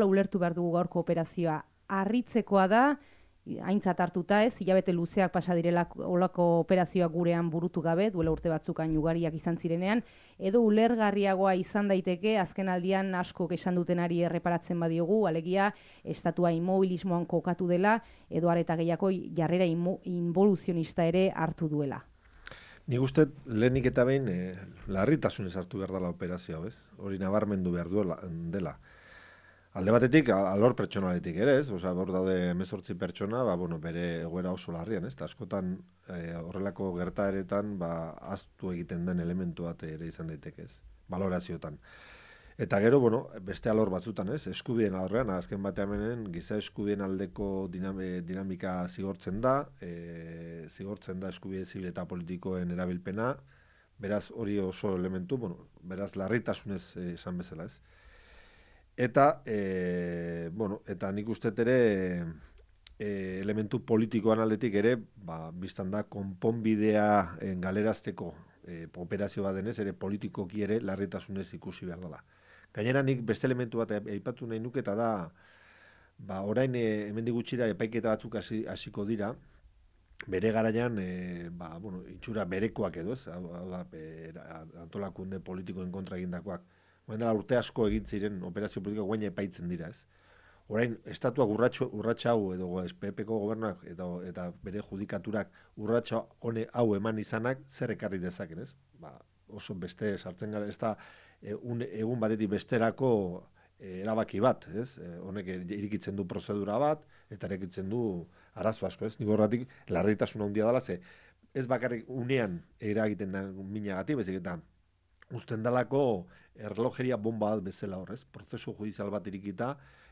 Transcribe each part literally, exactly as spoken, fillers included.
nola ulertu behar dugu gaurko operazioa? Harritzekoa da, aintzat hartuta ez, hilabete luzeak pasa direla olako operazioak gurean burutu gabe, duela urte batzuk hain ugariak izan zirenean, edo ulergarriagoa izan daiteke, azken aldian asko esan dutenari erreparatzen badiogu, alegia, estatua inmobilismoan kokatu dela, edo areta gehiago jarrera involuzionista ere hartu duela. Nik uste lehenik eta behin eh, larritasunez hartu behar dela operazioa, ez? Hori nabarmendu behar duela, dela. Alde batetik, alor pertsonaletik ere, ez? Osa, hor daude hemezortzi pertsona, ba, bueno, bere egoera oso larrian, ez? Ta askotan eh, horrelako gertaeretan, ba, ahaztu egiten den elementu bat ere izan daiteke, ez? Balorazioetan. Eta gero, bueno, beste alor batzutan, ez? Eskubideen alorrean, azken batean menen, giza eskubideen aldeko dinamika zigortzen da, e, zigortzen da eskubide zibil eta politikoen erabilpena, beraz hori oso elementu, bueno, beraz larritasunez eh, esan bezala, ez? Eta, e, bueno, eta nik uste ere e, elementu politikoan aldetik ere, ba, biztan da, konponbidea e, galerazteko e, operazio bat denez, ere politikoki ere larritasunez ikusi behar dela. Gainera nik beste elementu bat aipatu nahi nuke, eta da, ba, orain e, hemendik gutxira epaiketa batzuk hasiko dira, bere garaian, e, ba, bueno, itxura berekoak edo, ez, hau da, e, antolakunde politikoen kontra egindakoak. Orain dela urte asko egin ziren operazio politikoak guaina epaitzen dira, ez. Orain, estatuak urratxa hau edo P P-ko gobernuak eta, eta bere judikaturak urratxa hone hau eman izanak zer ekarri dezaken, ez? Ba, oso beste sartzen gara, ez da e, un, egun batetik besterako e, erabaki bat, ez? E, honek irikitzen du prozedura bat eta irikitzen du arazo asko, ez? Nik horretik larritasuna handia dela, ze ez bakarrik unean eragiten da minagatik, bezik eta uzten dalako erlojeria bomba bat bezala horrez, prozesu judizial bat irikita,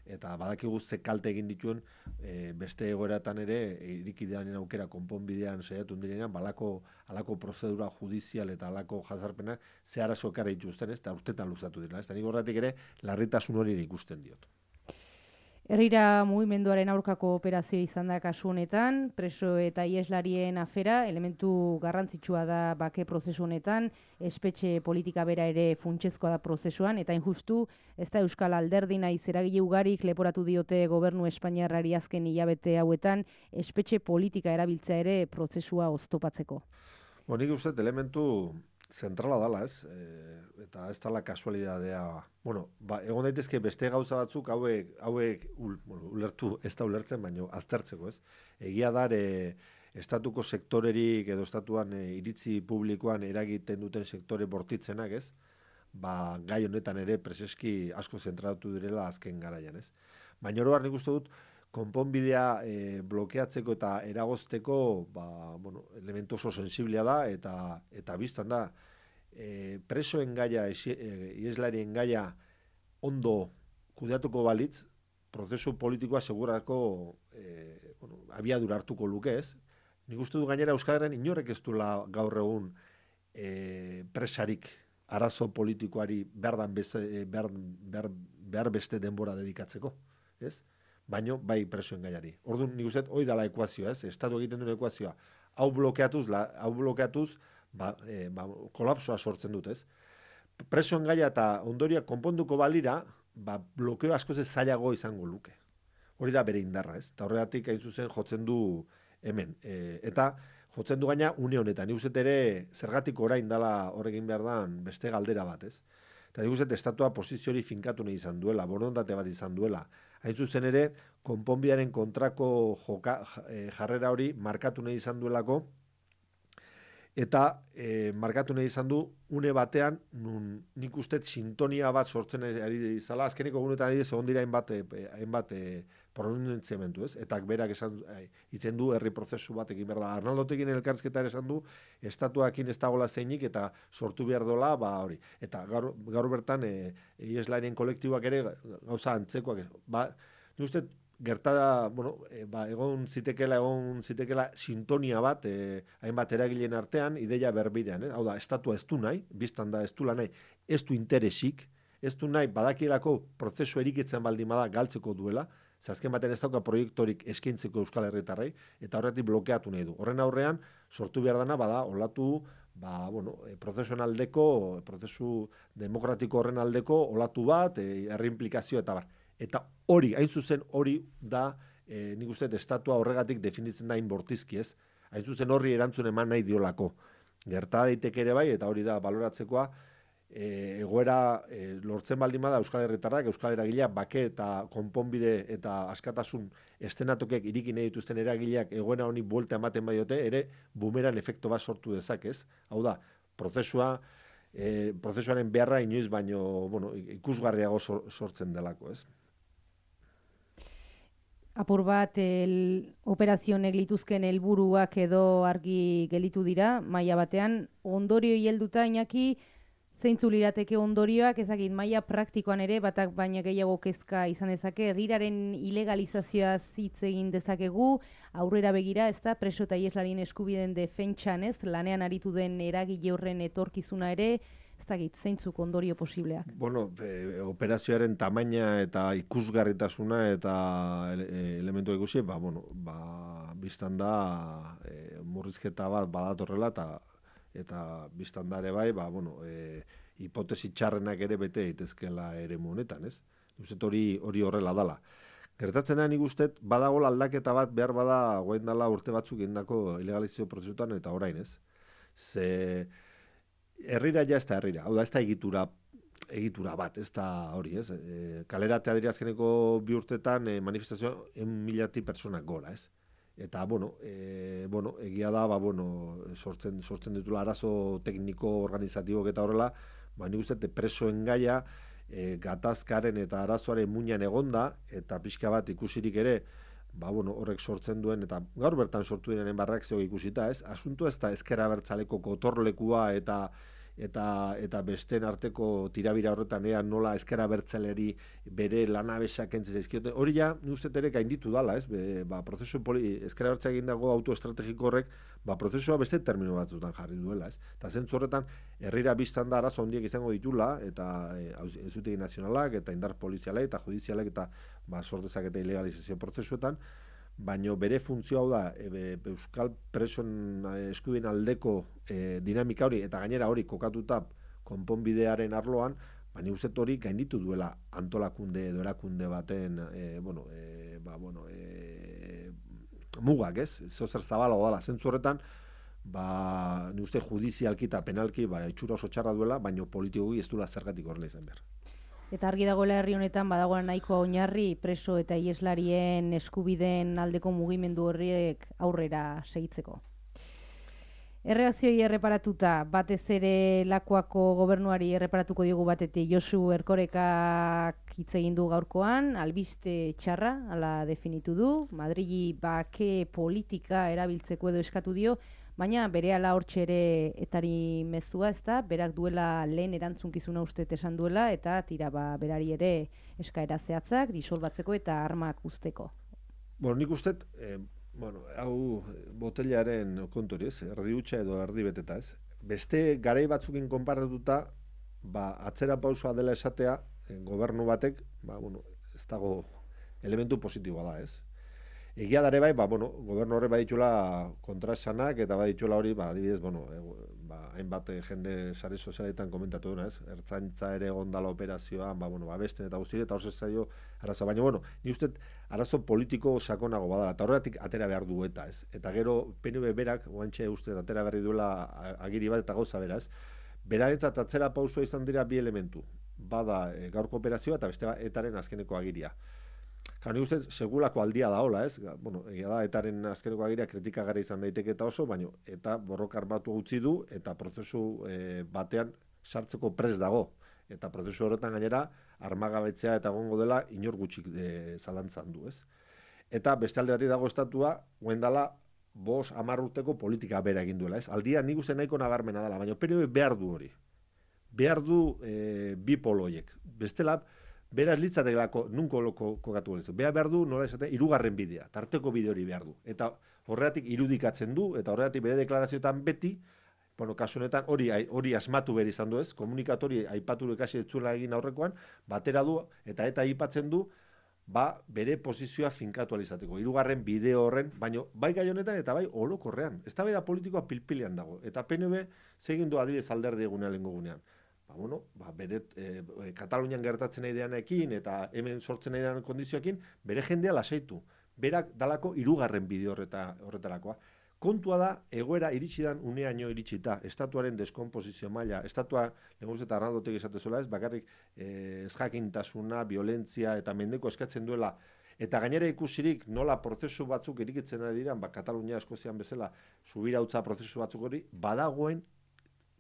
eta badakigu ze kalte egin dituen e, beste egoeratan ere, irikidean aukera konponbidean saiatu direnean, balako alako prozedura judizial eta alako jazarpenak ze arazo ekarri dituzten, ez, eta urtetan luzatu dira, ez, eta nik horretik ere larritasun hori ikusten diot. Herrira mugimenduaren aurkako operazio izan da kasu honetan, preso eta ieslarien afera, elementu garrantzitsua da bake prozesu honetan, espetxe politika bera ere funtsezkoa da prozesuan, eta injustu, ez da Euskal Alderdi naiz eragile ugarik leporatu diote gobernu espainiarrari azken hilabete hauetan, espetxe politika erabiltzea ere prozesua oztopatzeko. Bo, nik uste elementu zentrala dala, ez? E, eta ez dala kasualidadea. Bueno, ba, egon daitezke beste gauza batzuk hauek, hauek ul, bueno, ulertu, ez da ulertzen, baina aztertzeko, ez? Egia da, e, estatuko sektorerik edo estatuan e, iritzi publikoan eragiten duten sektore bortitzenak, ez? Ba, gai honetan ere preseski asko zentratu direla azken garaian, ez? Baina oroar nik uste dut, konponbidea e, blokeatzeko eta eragozteko ba, bueno, elementu oso sensiblea da eta eta biztan da e, presoen gaia, ieslarien gaia ondo kudeatuko balitz, prozesu politikoa segurako e, bueno, abiadura hartuko luke, ez? Nik uste du gainera Euskal Herrian inorek ez duela gaur egun e, presarik arazo politikoari behar, beste, behar, behar, behar beste denbora dedikatzeko, ez? Baino bai presoen gaiari. Orduan nik uste hori dela ekuazioa, ez? Estatu egiten duen ekuazioa. Hau blokeatuz, la, hau blokeatuz, ba, e, ba, kolapsoa sortzen dut, ez? Presoen gaia eta ondoria konponduko balira, ba, blokeo askoz ez zailago izango luke. Hori da bere indarra, ez? Eta horregatik hain zuzen jotzen du hemen. E, eta jotzen du gaina une honetan. Nik uste ere zergatik orain dela horregin behar dan beste galdera bat, ez? Eta nik uste estatua posiziori finkatu nahi izan duela, borondate bat izan duela. Hain zuzen ere, konponbidearen kontrako joka, jarrera hori markatu nahi izan duelako, eta e, markatu nahi izan du une batean, nun nik uste sintonia bat sortzen ari izala, azkeneko gunetan ari egon dira hainbat, hainbat e, pronuntziamentu, ez? Eta berak esan itzen du herri prozesu bat egin behar da. Arnaldotekin elkarrizketa esan du, estatuakin ez dagoela zeinik eta sortu behar dola, ba hori. Eta gaur, gaur bertan, e, ieslarien kolektiboak ere gauza antzekoak. Ba, nik uste gertada, bueno, e, ba, egon zitekela, egon zitekela sintonia bat, e, hainbat eragileen artean, ideia berbirean, eh? Hau da, estatua ez du nahi, biztan da ez du nahi, ez du interesik, ez du nahi badakielako prozesu erikitzen baldin bada galtzeko duela, zazken baten ez dauka proiektorik eskaintzeko Euskal Herritarrei, eta horretik blokeatu nahi du. Horren aurrean, sortu behar dana, bada, olatu, ba, bueno, e, prozesuan aldeko, prozesu demokratiko horren aldeko, olatu bat, e, herri implikazio eta bar. Eta hori, hain zuzen hori da, e, nik uste estatua horregatik definitzen da inbortizki, ez? Hain zuzen horri erantzun eman nahi diolako. Gerta daiteke ere bai, eta hori da baloratzekoa, e, egoera e, lortzen baldin bada Euskal Herritarrak, Euskal Eragileak, bake eta konponbide eta askatasun estenatokek irikin nahi dituzten eragileak egoera honi buelta ematen badiote, ere bumeran efektu bat sortu dezakez. Hau da, prozesua, e, prozesuaren beharra inoiz baino, bueno, ikusgarriago sortzen delako, ez? Apur bat, el, operazionek lituzken helburuak edo argi gelitu dira, maila batean, ondorio helduta Iñaki, zeintzu lirateke ondorioak, ezagit, maila praktikoan ere, batak baina gehiago kezka izan dezake, herriraren ilegalizazioa hitz egin dezakegu, aurrera begira, ez da, preso eta ieslarien eskubideen defentsan, ez, lanean aritu den eragile horren etorkizuna ere, ez dakit, zeintzuk ondorio posibleak. Bueno, e, operazioaren tamaina eta ikusgarritasuna eta ele, elementu ikusi, ba, bueno, ba, biztan da e, murrizketa bat badatorrela eta eta biztan da ere bai, ba, bueno, e, hipotesi txarrenak ere bete daitezkeela eremu honetan, ez? Uzet hori hori horrela dala. Gertatzen da nik uste badagola aldaketa bat behar bada goen dala urte batzuk egindako ilegalizazio prozesutan eta orain, ez? Ze herrira ja ez da herrira, hau da ez da egitura egitura bat, ez da hori, ez? E, kaleratea dira azkeneko bi urtetan e, manifestazio en milati personak gora, ez? Eta, bueno, e, bueno, egia da, ba, bueno, sortzen, sortzen ditula arazo tekniko organizatibok eta horrela, ba, nik uste presoen gaia, e, gatazkaren eta arazoaren muinan egonda, eta pixka bat ikusirik ere, ba, bueno, horrek sortzen duen, eta gaur bertan sortu diren barreakzio ikusita, ez? Asuntu ez da ezker abertzaleko kotorlekua eta eta eta besteen arteko tirabira horretan ea nola ezker abertzaleri bere lanabesak kentzen zaizkiote. Hori ja, ni uste ere gainditu dala, ez? Be, ba, prozesu poli, ezker abertzak egindago autoestrategiko horrek, ba, prozesua beste termino batzutan jarri duela, ez? Eta zentzu horretan, herrira biztan da arazo handiak izango ditula, eta e, ezutegi nazionalak, eta indar polizialek, eta judizialek, eta ba, sortezak eta ilegalizazio prozesuetan, baino bere funtzio hau da e, euskal presoen eskubideen aldeko e, dinamika hori eta gainera hori kokatuta konponbidearen arloan, baina uzet hori gainditu duela antolakunde edo erakunde baten e, bueno, e, ba, bueno, e, mugak, ez? Zozer zabalago dala, zentzu horretan, ba, ni uste judizialki eta penalki ba, itxura oso txarra duela, baino politikoki ez duela zergatik horrela izan behar. Eta argi dagoela herri honetan badagoela nahikoa oinarri preso eta ieslarien eskubideen aldeko mugimendu horriek aurrera segitzeko. Erreakzioi erreparatuta, batez ere Lakuako gobernuari erreparatuko diogu batetik Josu Erkorekak hitz egin du gaurkoan, albiste txarra, hala definitu du, Madrili bake politika erabiltzeko edo eskatu dio, baina berehala hortxe ere etari mezua, ez da, berak duela lehen erantzunkizuna uste esan duela, eta tira ba, berari ere eskaera zehatzak, disolbatzeko eta armak usteko. Bueno, nik uste, eh, bueno, hau botelaren kontori, ez, erdi hutsa edo erdi beteta, ez. Beste garai batzukin konparatuta, ba, atzera pausoa dela esatea, eh, gobernu batek, ba, bueno, ez dago elementu positiboa da, ez. Egia dare bai, ba, bueno, gobernu horre baditula kontraesanak eta baditula hori, ba, adibidez, bueno, e, ba, hainbat jende sare sozialetan komentatu duna, ez? Ertzaintza ere gondala operazioan, ba, bueno, ba, besten eta guztire, eta hor zaio arazo. Baina, bueno, ni uste arazo politiko sakonago badala, eta horregatik atera behar du eta, ez? Eta gero, P N V berak, oantxe uste atera berri duela agiri bat eta gauza beraz, beraretzat atzera pausua izan dira bi elementu. Bada e, gaurko operazioa eta beste etaren azkeneko agiria. Claro, ni uste segulako aldia da hola, ez? Bueno, egia da, etaren azkeneko agiria kritikagarri izan daiteke eta oso, baina eta borroka armatu utzi du eta prozesu e, batean sartzeko prest dago. Eta prozesu horretan gainera armagabetzea eta egongo dela inor gutxik e, zalantzan du, ez? Eta beste alde batik dago estatua, goendala bos hamar urteko politika bera egin duela, ez? Aldia nik uste nahiko nabarmena dela, baina P N V behar du hori. Behar du e, bi poloiek. Bestela, beraz litzatekelako nunko loko kokatu galezu. Behar behar du, nola esaten, hirugarren bidea, tarteko bide hori behar du. Eta horregatik irudikatzen du, eta horregatik bere deklarazioetan beti, bueno, kasu honetan hori hori asmatu behar izan du ez, komunikatori aipatu ekasi etzuela egin aurrekoan, batera du, eta eta aipatzen du, ba, bere posizioa finkatu alizateko. Hirugarren bideo horren, baino bai gai honetan eta bai orokorrean. Eztabaida politikoa pilpilean dago. Eta P N V segin du adibidez alderdi egunean lehengo gunean. ba, bueno, ba, bere, e, Katalunian gertatzen nahi deanekin eta hemen sortzen nahi dean kondizioekin, bere jendea lasaitu. Berak dalako hirugarren bide horreta, horretarakoa. Kontua da, egoera iritsi dan uneaino iritsita, estatuaren deskomposizio maila, estatua, leguz eta Arnaldotek esatezuela ez, bakarrik eh, ezjakintasuna, violentzia eta mendeko eskatzen duela, eta gainera ikusirik nola prozesu batzuk irikitzen ari diran, ba, Katalunia, Eskozian bezala, subirautza prozesu batzuk hori, badagoen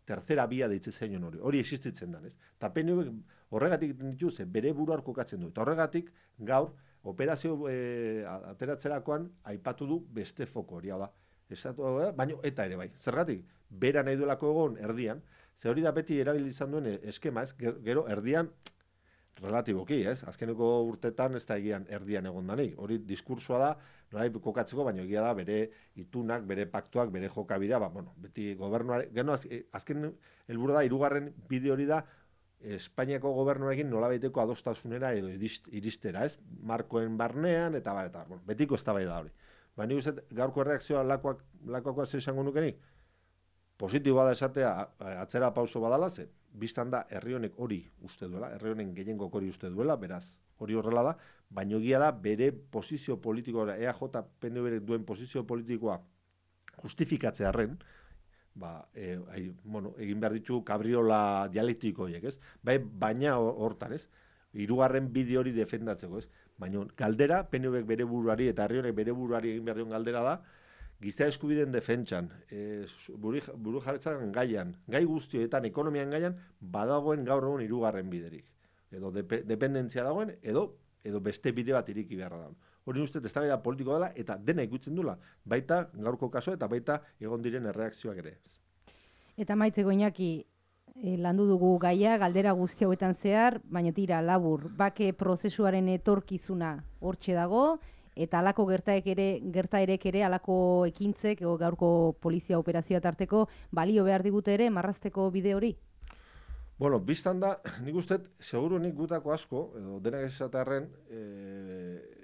tercera bia deitzen zaino hori, hori existitzen da, ez? Eta P N V horregatik ditu, ze bere buruar kokatzen du, eta horregatik gaur, operazio e, ateratzerakoan, aipatu du beste foko hori, da. Estatu, baino eta ere bai. Zergatik, bera nahi duelako egon erdian, ze hori da beti erabili izan duen eskema, ez? Gero erdian, relatiboki, ez? Azkeneko urtetan ez da egian erdian egon danik. Hori diskursoa da, norai kokatzeko, baina egia da bere itunak, bere paktuak, bere jokabidea, ba, bueno, beti gobernuare, geno azken helburu da, hirugarren bide hori da, Espainiako gobernuarekin nolabaiteko adostasunera edo iristera, ez? Markoen barnean, eta bar, eta bueno, betiko eztabaida da hori. Ba, nik uste, gaurko erreakzioa lakoak, lakoakoa zer izango nukenik? Positiboa da esatea atzera pauso badala, ze, biztan da herri honek hori uste duela, herri honen gehiengok hori uste duela, beraz, hori horrela da, baino egia da bere posizio politikoa, E A J P N V duen posizio politikoa justifikatzearren, ba, e, ai, bueno, egin behar ditu kabriola dialektiko horiek, ez? Bai, baina hortan, ez? Hirugarren bide hori defendatzeko, ez? Baina galdera, P N Vek bere buruari eta herri honek bere buruari egin behar dion galdera da, giza eskubideen defentsan, e, buru jabetzan gaian, gai guztioetan, ekonomian gaian, badagoen gaur egun hirugarren biderik. Edo de, dependentzia dagoen, edo edo beste bide bat iriki beharra dagoen. Hori uste eztabaida politiko dela eta dena ikutzen dula, baita gaurko kaso eta baita egon diren erreakzioak ere. Eta maitzeko Iñaki, e, landu dugu gaia, galdera guzti hauetan zehar, baina tira labur, bake prozesuaren etorkizuna hortxe dago, eta alako gertaek ere, gertaerek ere, alako ekintzek, o, gaurko polizia operazioa tarteko, balio behar digute ere, marrazteko bide hori? Bueno, biztan da, nik uste, seguru nik gutako asko, edo denak esatarren, e,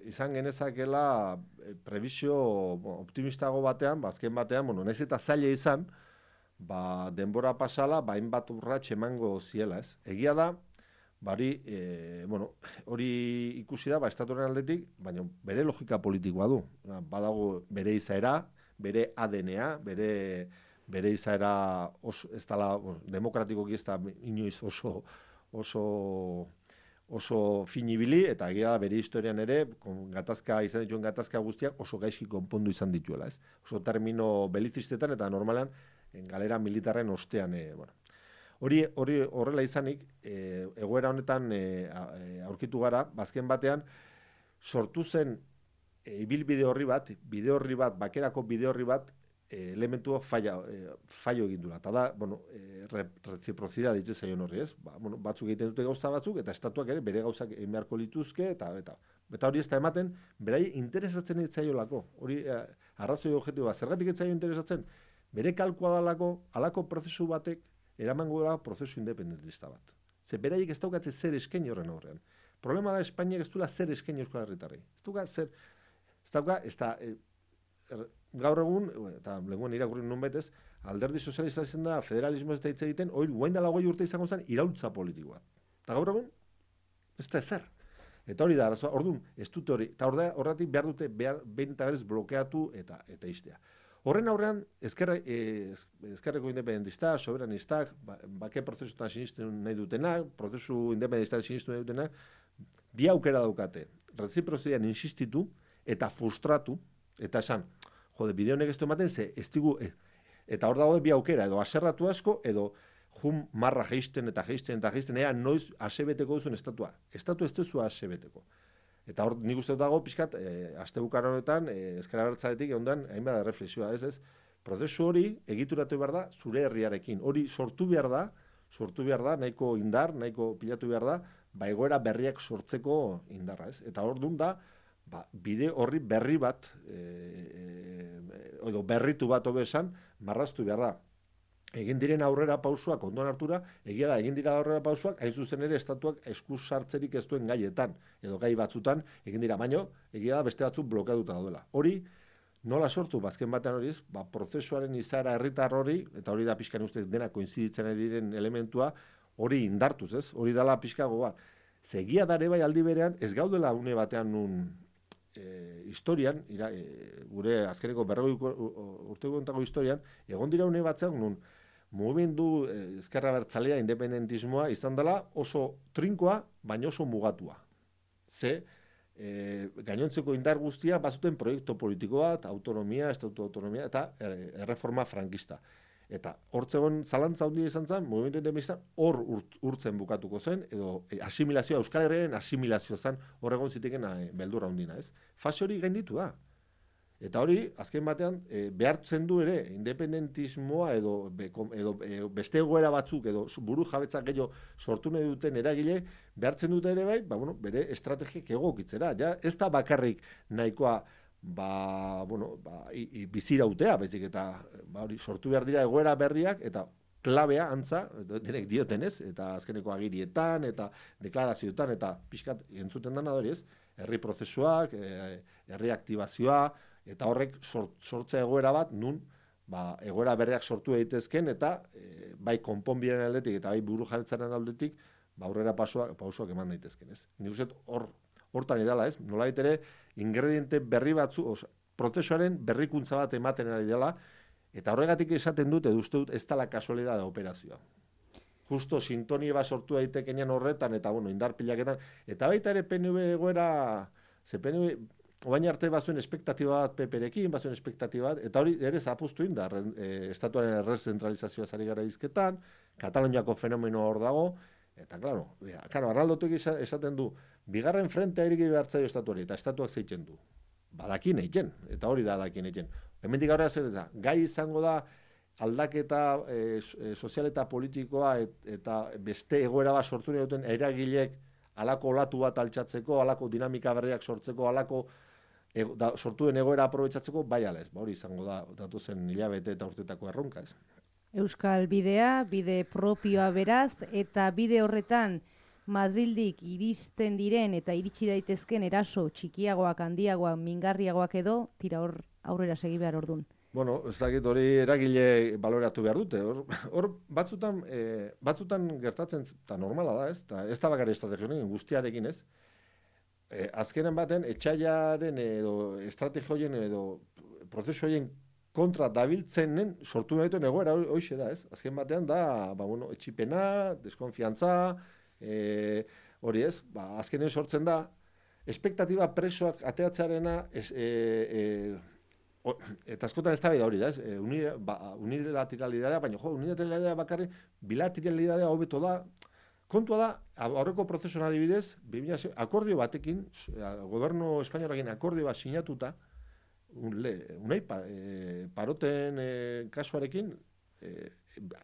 izan genezakela e, prebizio bueno, optimistago batean, bazken batean, bueno, nahiz eta zaila izan, ba, denbora pasala, bain bat urratx emango ziela, ez? Egia da, bari, e, bueno, hori ikusi da, ba, estatuaren aldetik, baina bere logika politikoa du. Badago bere izaera, bere A D N A, bere... bere izaera oso, ez dala, bueno, demokratikoki ez da inoiz oso, oso, oso finibili, eta egia bere historian ere, gatazka, izan dituen gatazka guztiak oso gaizki konpondu izan dituela, ez? Oso termino belizistetan eta normalan galera militarren ostean, e, bueno. Hori, hori horrela izanik, e, egoera honetan e, aurkitu gara, bazken batean, sortu zen e, ibilbide horri bat, bide horri bat, bakerako bide horri bat, elementua falla, eh, fallo egin dula. Eta da, bueno, eh, reziprozidad ditzen zaion horri, ez? Ba, bueno, batzuk egiten dute gauza batzuk, eta estatuak ere bere gauzak egin beharko lituzke, eta, eta, eta hori ez da ematen, berai interesatzen ez zaiolako. Hori, eh, arrazoi objektiboa, zergatik ez zaio interesatzen? Bere kalkoa dalako, alako prozesu batek, eramango da prozesu independentista bat. Ze beraiek ez daukatze zer eskaini horren aurrean. Problema da, Espainiak ez duela zer eskaini Euskal Herritarrei. Ez dauka zer, ez dauka, ez da, eh, er, gaur egun, eta lenguen irakurri nun betez, alderdi sozialista zen da, federalismo ez da hitz egiten, hori guain dela goi urte izango zen, iraultza politikoa. Eta gaur egun, ez da ezer. Eta hori da, arazoa, orduan, ez dute hori, eta horretik behar dute, behar, behin eta berez blokeatu eta eta istea. Horren aurrean, ezkerre, eh, ezkerreko independentista, soberanistak, ba, bake prozesuetan sinisten nahi dutenak, prozesu independentistak sinisten nahi dutenak, bi aukera daukate, reziprozidean insistitu eta frustratu, eta esan, jode, bide honek ez du ematen, ze, ez digu, e, eta hor dago bi aukera, edo aserratu asko, edo jun marra geisten eta geisten eta geisten, ea noiz asebeteko duzuen estatua. Estatu ez duzu asebeteko. Eta hor nik uste dago, pixkat, e, aste bukar honetan, e, ezkera bertzaretik, ondan, hainbat reflexioa, ez ez, prozesu hori egituratu behar da zure herriarekin. Hori sortu behar da, sortu behar da, nahiko indar, nahiko pilatu behar da, ba egoera berriak sortzeko indarra, ez? Eta hor dun da, ba, bide horri berri bat, e, e, edo berritu bat hobe esan, marraztu behar da. Egin diren aurrera pausuak ondoan hartura, egia da, egin dira aurrera pausuak, hain zuzen ere estatuak eskus sartzerik ez duen gaietan, edo gai batzutan, egin dira, baino, egia da beste batzuk blokeatuta daudela. Hori, nola sortu, bazken batean horiz, ba, prozesuaren izaera herritar hori, eta hori da pixkan ustez dena koinziditzen diren elementua, hori indartuz, ez? Hori dala pixka gogoa. Zegia dare bai aldi berean, ez gaudela une batean nun e, historian, ira, e, gure azkeneko berrogei urteko ontako historian, egon dira une batzean nun mugimendu e, ezkerra bertzalea independentismoa izan dela oso trinkoa, baina oso mugatua. Ze, e, gainontzeko indar guztia bazuten proiektu politiko bat, autonomia, estatutu autonomia eta erreforma frankista. Eta hortzegon zalantza handia izan zen, mugimendu independentistan hor urt, urtzen bukatuko zen, edo e, asimilazioa, Euskal Herriaren asimilazioa zen horregon ziteken e, beldurra hundina, ez? Fase hori gainditu da. Eta hori, azken batean, e, behartzen du ere, independentismoa edo, be, edo e, beste egoera batzuk, edo buru jabetzak gehiago sortu nahi duten eragile, behartzen dute ere bai, ba, bueno, bere estrategiak egokitzera. Ja, ez da bakarrik nahikoa ba, bueno, ba, i, i, bizirautea, baizik eta ba, hori, sortu behar dira egoera berriak, eta klabea, antza, denek diotenez, eta azkeneko agirietan, eta deklarazioetan, eta pixkat entzuten dana hori ez, herri prozesuak, e, herri aktibazioa, eta horrek sort, sortzea egoera bat, nun, ba, egoera berriak sortu daitezken, eta e, bai konponbiren aldetik, eta bai buru jabetzaren aldetik, ba, aurrera pausoak, pausoak eman daitezken, ez. Nik uste hor, hortan edala, ez, nolabait ere, ingrediente berri batzu, oza, prozesuaren berrikuntza bat ematen ari dela, eta horregatik esaten dut, edo uste dut, ez dela kasualidad da operazioa. Justo sintonia bat sortu daitekenean horretan, eta bueno, indar pilaketan, eta baita ere P N V egoera, ze P N V, obain arte bazuen espektatiba bat P P-rekin, bazuen espektatiba bat, eta hori ere zapuztu indar, e, estatuaren errezentralizazioa zari gara izketan, Kataluniako fenomeno hor dago, eta, klaro, claro, Arnaldotek esaten du, bigarren frentea iriki behartzaio estatuari, eta estatuak zeitzen du. Badakin eiken, eta hori da dakin eiken. Hemendik aurrera zer da, gai izango da aldaketa e, sozial eta politikoa et, eta beste egoera bat sortu nahi duten eragilek halako olatu bat altxatzeko, halako dinamika berriak sortzeko, halako e, da, sortu den egoera aprobetxatzeko, bai ala ez, ba, hori izango da, datu zen hilabete eta urtetako erronka ez. Euskal bidea, bide propioa beraz, eta bide horretan Madrildik iristen diren eta iritsi daitezken eraso txikiagoak, handiagoak, mingarriagoak edo, tira hor aurrera segi behar ordun. Bueno, ez dakit hori eragile baloratu behar dute. Hor, hor batzutan, e, batzutan gertatzen, eta normala da ez, eta ez da bakari estrategioen guztiarekin ez. E, azkenen baten, etxaiaren edo estrategioen edo prozesu horien kontra dabiltzenen sortu nahituen egoera hoxe da ez. Azken batean da, ba, bueno, etxipena, deskonfiantza, E, hori ez, ba, azkenen sortzen da, espektatiba presoak ateatzearena, ez, e, e, o, eta askotan ez da hori da, ez, e, unire, ba, unilateralidadea, baina jo, unilateralidadea bakarri, bilateralidadea hobeto da, kontua da, aurreko prozesuan adibidez, akordio batekin, gobernu espainorakin akordio bat sinatuta, unai, un pa, e, paroten e, kasuarekin, e,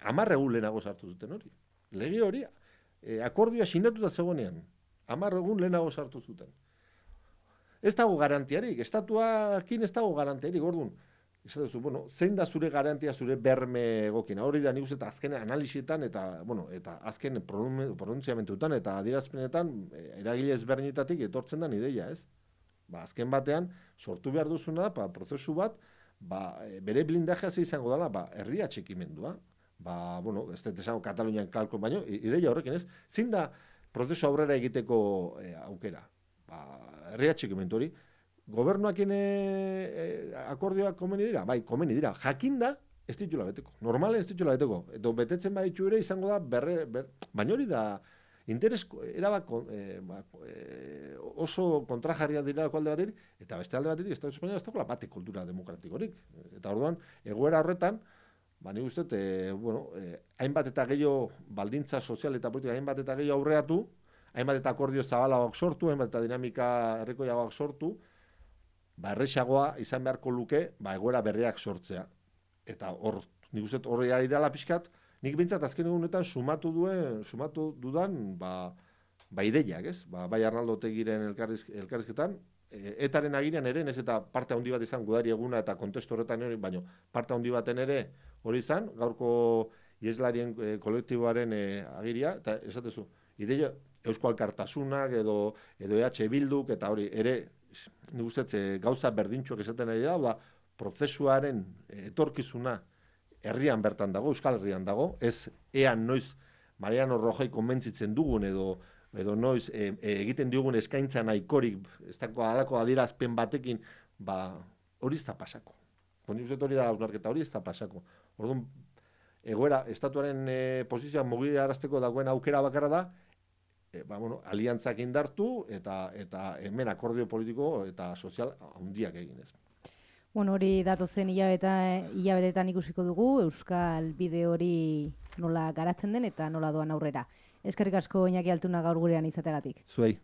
amarre lehenago sartu zuten hori, lege hori, E, akordioa sinatuta zegoenean, hamar egun lehenago sartu zuten. Ez dago garantiarik, estatuakin ez dago garantiarik, orduan. Esatezu, bueno, zein da zure garantia, zure berme egokina. Hori da nik uste eta azken analisietan eta, bueno, eta azken pronuntziamentutan eta adierazpenetan eragile ezberdinetatik etortzen da ideia, ez? Ba, azken batean, sortu behar duzuna, ba, prozesu bat, ba, bere blindajea izango dela, ba, herria txekimendua. Ba, bueno, ez dut esango Katalunian kalko, baino, ideia horrekin ez, zein da prozesu aurrera egiteko e, aukera. Ba, herria txikimentu hori, gobernuakin e, e, akordioak komeni dira? Bai, komeni dira. Jakinda, ez ditula beteko. Normalen ez ditula beteko. Edo betetzen baditu ere izango da, berre, ber, baina hori da, interes, erabak, e, ba, e, oso kontrajarria dira alde batetik, eta beste alde batetik, Estatu Espainola ez dagoela bate kultura demokratikorik. Eta orduan, egoera horretan, ba, nik uste, e, bueno, e, hainbat eta gehiago baldintza sozial eta politika hainbat eta gehiago aurreatu, hainbat eta akordio zabalagoak sortu, hainbat eta dinamika herrikoiagoak sortu, ba, erresagoa izan beharko luke, ba, egoera berriak sortzea. Eta hor, nik uste, horri ari dela pixkat, nik bintzat azken egunetan sumatu duen, sumatu dudan, ba, ba ideiak, ez? Ba, bai Arnaldo Otegiren elkarriz, elkarrizketan, e, etaren agirean ere, ez eta parte handi bat izan gudari eguna eta kontestu horretan ere, baino parte handi baten ere, hori izan, gaurko ieslarien e, kolektiboaren e, agiria, eta esatezu, ideia Eusko Alkartasunak edo, edo E H Bilduk, eta hori ere, nik ustez, e, gauza berdintxoak esaten ari da, da prozesuaren e, etorkizuna herrian bertan dago, Euskal Herrian dago, ez ean noiz Mariano Rajoy konbentzitzen dugun edo edo noiz e, e, egiten diogun eskaintza nahikorik, ez dago alako adierazpen batekin, ba, hori ez da pasako. Honi uste hori da hausnarketa, hori ez da pasako. Orduan, egoera, estatuaren e, posizioa mugiarazteko dagoen aukera bakarra da, e, ba, bueno, aliantzak indartu eta eta hemen akordio politiko eta sozial handiak eginez. Bueno, hori datozen hilabeta, hilabetetan ikusiko dugu, Euskal Bide hori nola garatzen den eta nola doan aurrera. Eskerrik asko Iñaki Altuna gaur gurean izateagatik. Zuei.